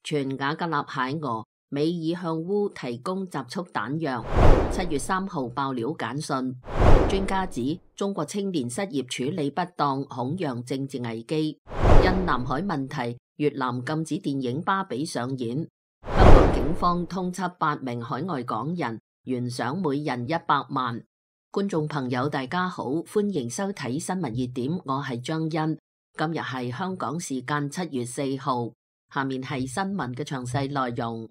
傳瓦格納蟹俄美已向烏提供集束彈藥。7月3號爆料簡訊，專家指中國青年失業處理不當，恐釀政治危機。因南海問題，越南禁止電影《芭比》上演。香港警方通緝8名海外港人，懸賞每人100萬。觀眾朋友大家好，歡迎收睇新聞熱點，我係張欣。今日係香港時間7月4號，下面係新聞嘅詳細內容。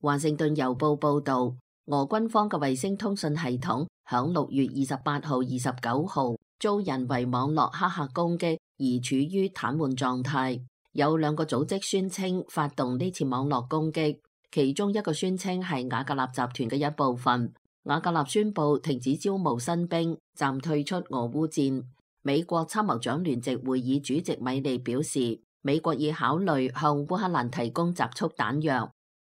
華盛頓郵報報道，俄軍方嘅衛星通訊系統響6月28號、29號遭人為網絡黑客攻擊而處於癱瘓狀態。有2個組織宣稱發動呢次網絡攻擊，其中一個宣稱係瓦格納集團嘅一部分。瓦格納宣布停止招募新兵，暫退出俄烏戰。美國參謀長聯席會議主席米利表示，美國已考慮向烏克蘭提供集束彈藥。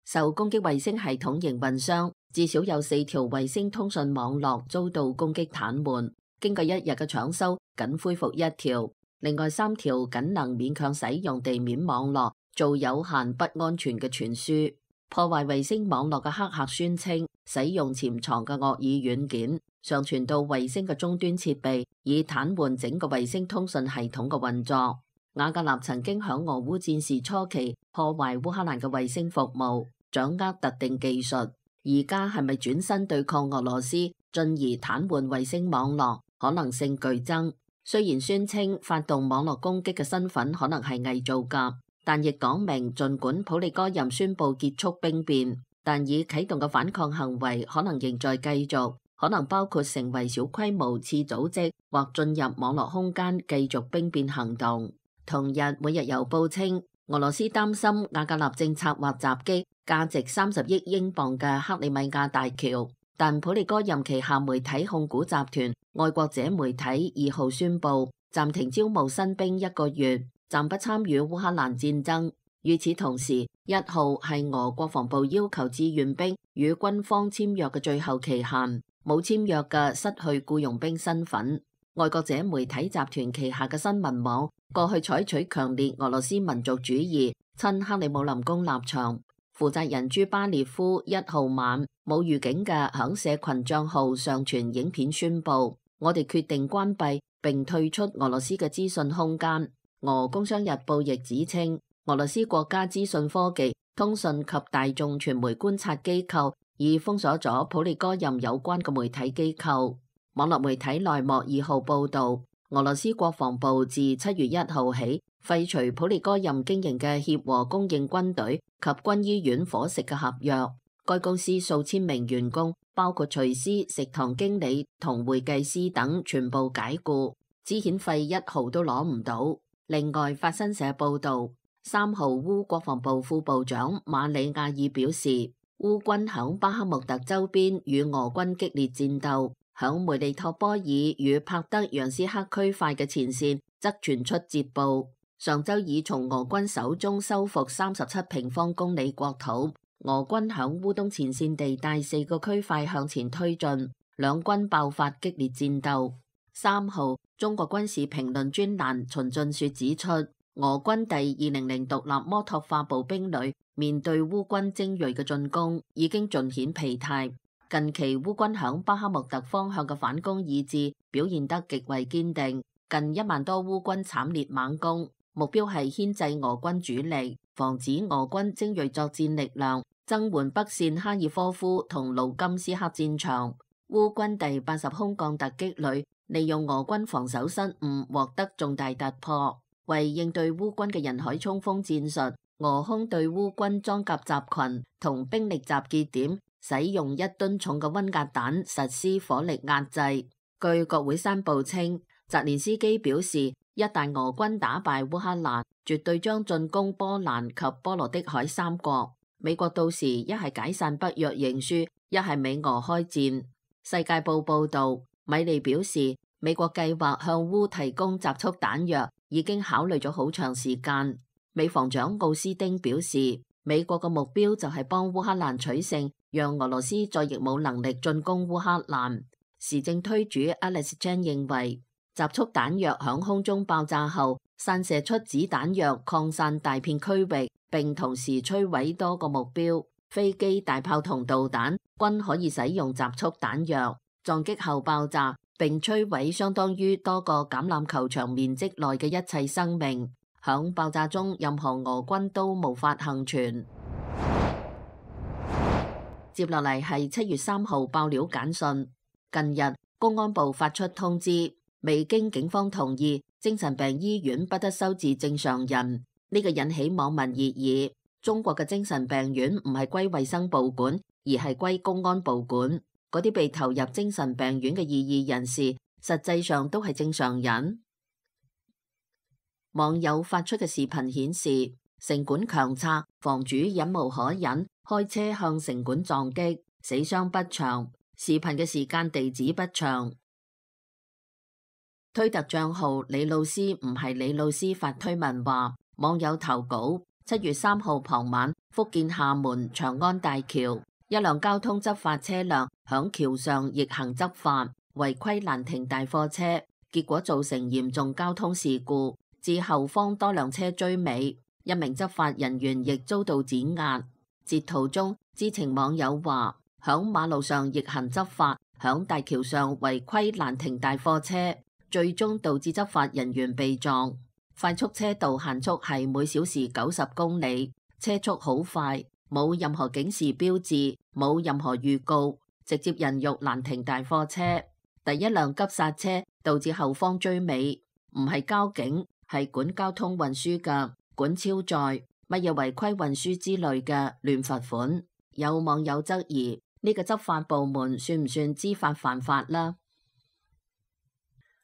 受攻擊衛星系統營運商至少有4條衛星通訊網絡遭到攻擊癱瘓，經過1日嘅搶修，僅恢復1條，另外3條僅能勉強使用地面網絡，做有限不安全嘅傳輸。破壞衛星網絡嘅黑客宣稱，使用潛藏嘅惡意軟件上傳到衛星嘅終端設備，以癱瘓整個衛星通訊系統嘅運作。瓦格納曾經響俄烏戰事初期破壞烏克蘭嘅衛星服務，掌握特定技術。而家係咪轉身對抗俄羅斯，進而癱瘓衛星網絡，可能性巨增。雖然宣稱發動網絡攻擊嘅身份可能係偽造㗎，但亦講明盡管普利戈任宣布結束兵變，但已啟動嘅反抗行為可能仍在繼續，可能包括成為小規模次組織或進入網絡空間繼續兵變行動。同日，每日郵報稱，俄羅斯擔心瓦格納正策劃襲擊價值30億英鎊嘅克里米亞大橋，但普利戈任旗下媒體控股集團愛國者媒體2號宣布暫停招募新兵1個月，暫不參與烏克蘭戰爭。與此同時，1號係俄國防部要求志願兵與軍方簽約嘅最後期限，冇簽約嘅失去僱傭兵身份。愛國者媒體集團旗下嘅新聞網過去採取強烈俄羅斯民族主義親克里姆林宮立場。負責人朱巴列夫1號晚冇預警嘅響社群賬號上傳影片宣布，我哋決定關閉並退出俄羅斯嘅資訊空間。俄工商日報亦指稱，俄羅斯國家資訊科技、通訊及大眾傳媒觀察機構已封鎖咗普利戈任有關嘅媒體機構。網絡媒體內幕2號報道，俄羅斯國防部自7月1號起廢除普利戈任經營嘅協和供應軍隊及軍醫院伙食嘅合約。該公司數千名員工，包括廚師、食堂經理同會計師等，全部解僱，資遣費1毫都攞唔到。另外，法新社報道，3號烏國防部副部長馬里亞爾表示，烏軍響巴克穆特周邊與俄軍激烈戰鬥。響梅利托波爾與帕德揚斯克區塊嘅前線則傳出捷報，上周已從俄軍手中收復37平方公里國土。俄軍響烏東前線地帶4個區塊向前推進，兩軍爆發激烈戰鬥。3號，中國軍事評論專欄秦俊雪指出，俄軍第200獨立摩托化步兵旅面對烏軍精銳嘅進攻，已經盡顯疲態。近期烏軍響巴克穆特方向嘅反攻意志表現得極為堅定，近1萬多烏軍慘烈猛攻，目標係牽制俄軍主力，防止俄軍精銳作戰力量增援北線哈爾科夫同盧甘斯克戰場。烏軍第80空降突擊旅利用俄軍防守失誤獲得重大突破，為應對烏軍嘅人海衝鋒戰術，俄空對烏軍裝甲集群同兵力集結點使用1噸重嘅溫壓彈實施火力壓制。據國會山報稱，澤連斯基表示，一旦俄軍打敗烏克蘭，絕對將進攻波蘭及波羅的海3國。美國到時一係解散北約認輸，一係美俄開戰。世界報報道，米利表示，美國計劃向烏提供集束彈藥，已經考慮咗好長時間。美防長奧斯丁表示，美國嘅目標就係幫烏克蘭取勝，讓俄羅斯再亦冇能力進攻烏克蘭。時政推主 Alex Chen 認為，集束彈藥響空中爆炸後，散射出子彈藥擴散大片區域，並同時摧毀多個目標，飛機、大炮同導彈均可以使用集束彈藥，撞擊後爆炸並摧毀相當於多個橄欖球場面積內嘅一切生命。響爆炸中，任何俄軍都無法幸存。接落嚟係7月3號爆料簡訊。近日，公安部發出通知，未經警方同意，精神病醫院不得收治正常人。呢個引起網民熱議。中國嘅精神病院唔係歸衛生部管，而係歸公安部管。嗰啲被投入精神病院嘅異議人士，實際上都係正常人。網友發出嘅視頻顯示，城管強拆，房主忍無可忍，開車向城管撞擊，死傷不詳。視頻嘅時間地址不詳。推特賬號李老師唔係李老師發推文話，網友投稿7月3號傍晚，福建廈門長安大橋，一輛交通執法車輛響橋上逆行執法，違規攔停大貨車，結果造成嚴重交通事故，至後方多輛車追尾，一名執法人員亦遭到碾壓。截圖中，知情網友話，響馬路上逆行執法，響大橋上違規攔停大貨車，最終導致執法人員被撞。快速車道限速係每小時90公里，車速好快，冇任何警示標誌，冇任何預告，直接人肉攔停大貨車。第一輛急剎車導致後方追尾，唔係交警，係管交通運輸嘅，管超載，乜嘢違規運輸之類嘅亂罰款。有網友質疑，呢個執法部門算唔算知法犯法啦？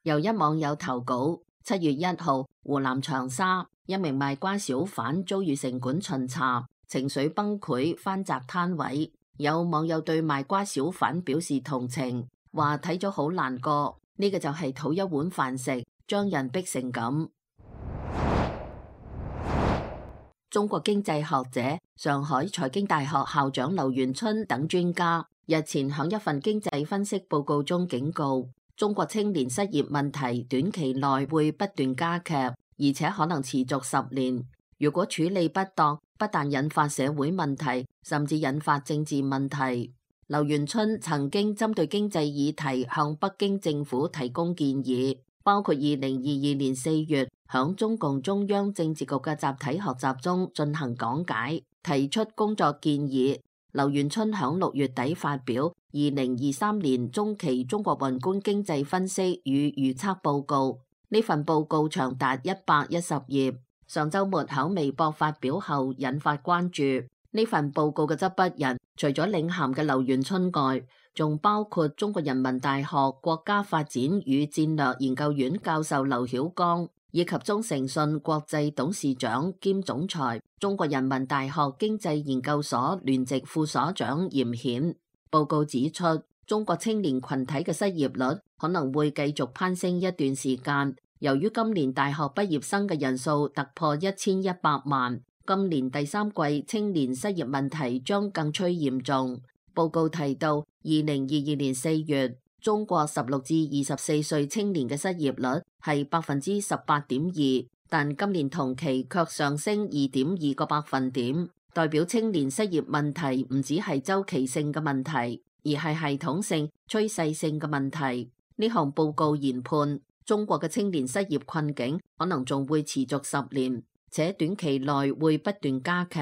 由一網友投稿，7月1號，湖南長沙一名賣瓜小販遭遇城管巡查，情緒崩潰，翻閘攤位。有網友對賣瓜小販表示同情，話睇咗好難過，呢個就係討一碗飯食，將人逼成咁。中國經濟學者、上海財經大學校長劉元春等專家日前響一份經濟分析報告中警告，中國青年失業問題短期內會不斷加劇，而且可能持續10年。如果處理不當，不但引發社會問題，甚至引發政治問題。劉元春曾經針對經濟議題向北京政府提供建議，包括2022年4月響中共中央政治局嘅集體學習中進行講解，提出工作建議。劉元春響6月底發表2023年中期中國宏觀經濟分析與預測報告，呢份報告長達110頁，上週末響微博發表後引發關注。呢份報告嘅執筆人除咗領銜嘅劉元春外，仲包括中國人民大學國家發展與戰略研究院教授劉曉剛，以及中誠信國際董事長兼總裁、中國人民大學經濟研究所聯席副所長嚴顯。報告指出，中國青年群體嘅失業率可能會繼續攀升一段時間，由於今年大學畢業生嘅人數突破1100萬，今年第3季青年失業問題將更趨嚴重。報告提到，2022年4月，中國16至24歲青年嘅失業率係18.2%，但今年同期卻上升2.2個百分點，代表青年失業問題唔只係周期性嘅問題，而係系統性、趨勢性嘅問題。呢項報告研判，中國嘅青年失業困境可能仲會持續10年，且短期內會不斷加劇。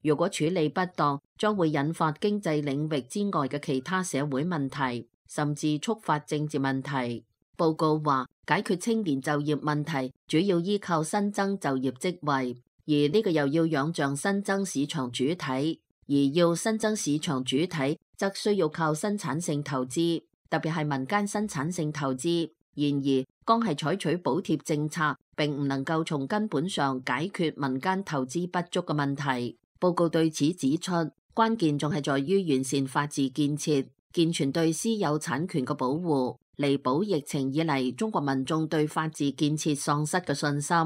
如果處理不當，將會引發經濟領域之外嘅其他社會問題，甚至觸發政治問題。報告話，解決青年就業問題主要依靠新增就業職位，而呢個又要仰仗新增市場主體，而要新增市場主體，則需要靠生產性投資，特別係民間生產性投資。然而，光係採取補貼政策，並唔能夠從根本上解決民間投資不足嘅問題。報告對此指出，關鍵仲係在於完善法治建設，健全對私有產權嘅保護，彌補疫情以嚟中國民眾對法治建設喪失嘅信心。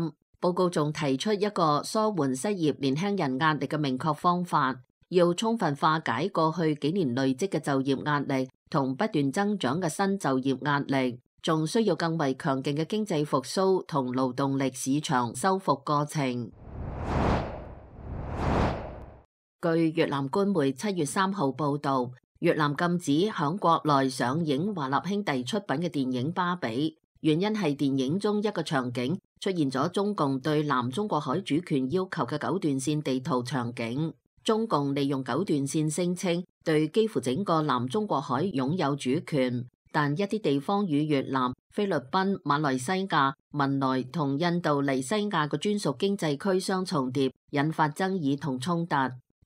報告仲提出一個舒緩失業年輕人壓力嘅明確方法，要充分化解過去幾年累積嘅就業壓力同不斷增長嘅新就業壓力，仲需要更為強勁嘅經濟復甦同勞動力市場修復過程。據越南官媒7月3號報道，越南禁止響國內上映華納兄弟出品嘅電影《芭比》，原因係電影中一個場景出現咗中共對南中國海主權要求嘅九段線地圖場景。中共利用九段線聲稱對幾乎整個南中國海擁有主權，但一啲地方與越南、菲律賓、馬來西亞、文萊同印度尼西亞嘅專屬經濟區相重疊，引發爭議同衝突。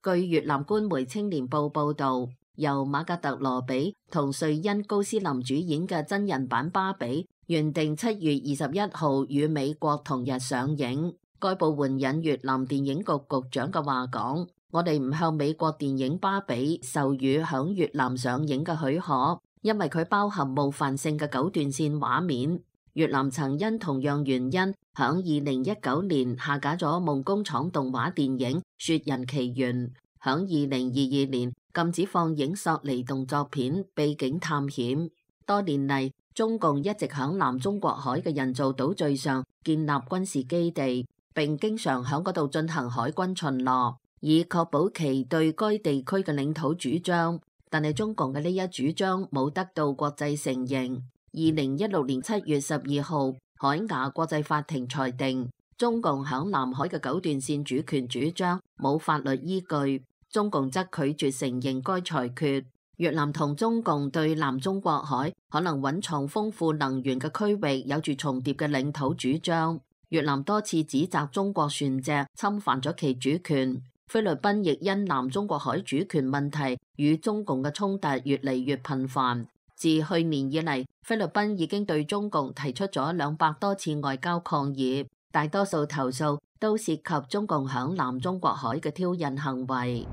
據越南官媒青年報報道，由馬格特羅比同瑞恩高斯林主演嘅真人版芭比，原定7月21號與美國同日上映。該部援引越南電影局局長嘅話講：我哋唔向美國電影芭比授予響越南上映嘅許可，因為佢包含冒犯性嘅九段線畫面。越南曾因同樣原因，響2019年下架咗夢工廠動畫電影《雪人奇緣》，響2022年禁止放映索尼動作片《秘境探險》。多年嚟，中共一直響南中國海嘅人造島嶼上建立軍事基地，並經常響嗰度進行海軍巡邏，以確保其對該地區嘅領土主張。但係中共嘅呢一主張冇得到國際承認。2016年7月12號，海牙國際法庭裁定中共響南海嘅九段線主權主張冇法律依據，中共則拒絕承認該裁決。越南同中共對南中國海可能蘊藏豐富能源嘅區域有住重疊嘅領土主張。越南多次指責中國船隻侵犯咗其主權。菲律賓亦因南中國海主權問題與中共嘅衝突越嚟越頻繁。自去年以嚟，菲律賓已經對中共提出咗200多次外交抗議，大多數投訴都涉及中共響南中國海嘅挑釁行為。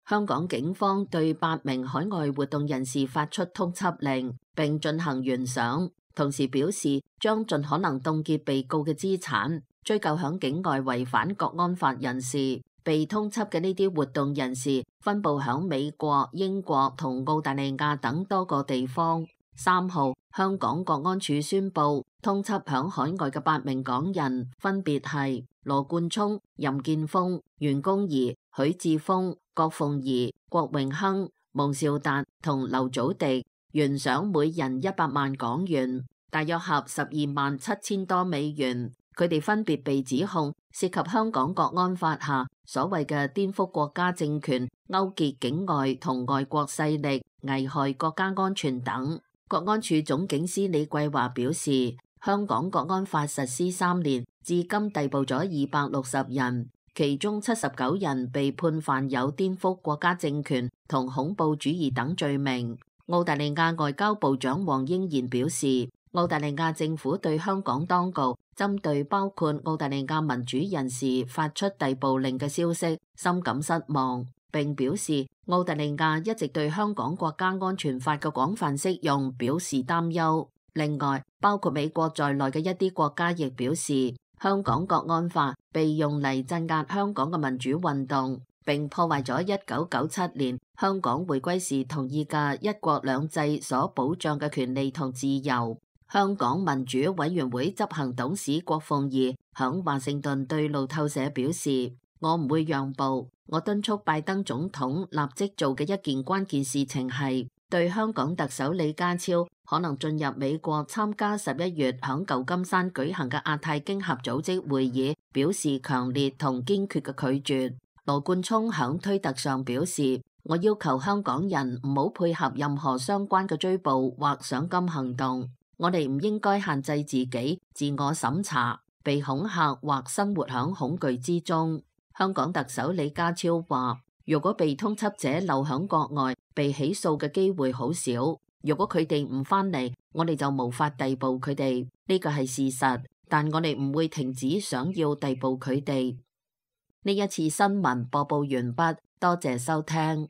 香港警方對8名海外活動人士發出通緝令，並進行懸賞，同時表示將盡可能凍結被告嘅資產，追究響境外違反國安法人士。被通緝嘅呢啲活動人士分佈響美國、英國同澳大利亞等多個地方。3號，香港國安處宣布通緝響海外嘅8名港人，分別係羅冠聰、任建峰、袁弓夷、許智峰、郭鳳儀、郭榮鏗、蒙兆達同劉祖迪，懸賞每人100萬港元，大約合127000多美元。佢哋分別被指控涉及香港國安法下所謂嘅顛覆國家政權、勾結境外同外國勢力、危害國家安全等。國安處總警司李桂華表示，香港國安法實施3年，至今逮捕咗260人，其中79人被判犯有顛覆國家政權同恐怖主義等罪名。澳大利亞外交部長黃英賢表示，澳大利亞政府對香港當局針對包括澳大利亞民主人士發出逮捕令嘅消息深感失望，並表示澳大利亞一直對香港國家安全法嘅廣泛適用表示擔憂。另外，包括美國在內嘅一啲國家亦表示，香港國安法被用嚟鎮壓香港嘅民主運動，並破壞咗1997年香港回歸時同意嘅一國兩制所保障嘅權利同自由。香港民主委員會執行董事郭鳳儀響華盛頓對路透社表示，我唔會讓步，我敦促拜登總統立即做嘅一件關鍵事情係對香港特首李家超可能進入美國參加11月響舊金山舉行嘅亞太經合組織會議表示強烈同堅決嘅拒絕。羅冠聰響推特上表示，我要求香港人唔好配合任何相關嘅追捕或賞金行動。我哋唔應該限制自己自我審查、被恐嚇或生活響恐懼之中。香港特首李家超話，如果被通緝者留響國外，被起訴嘅機會好少。如果佢哋唔返嚟，我哋就無法逮捕佢哋，呢個係事實。但我哋唔會停止想要逮捕佢哋。呢一次新聞播報完畢，多謝收聽。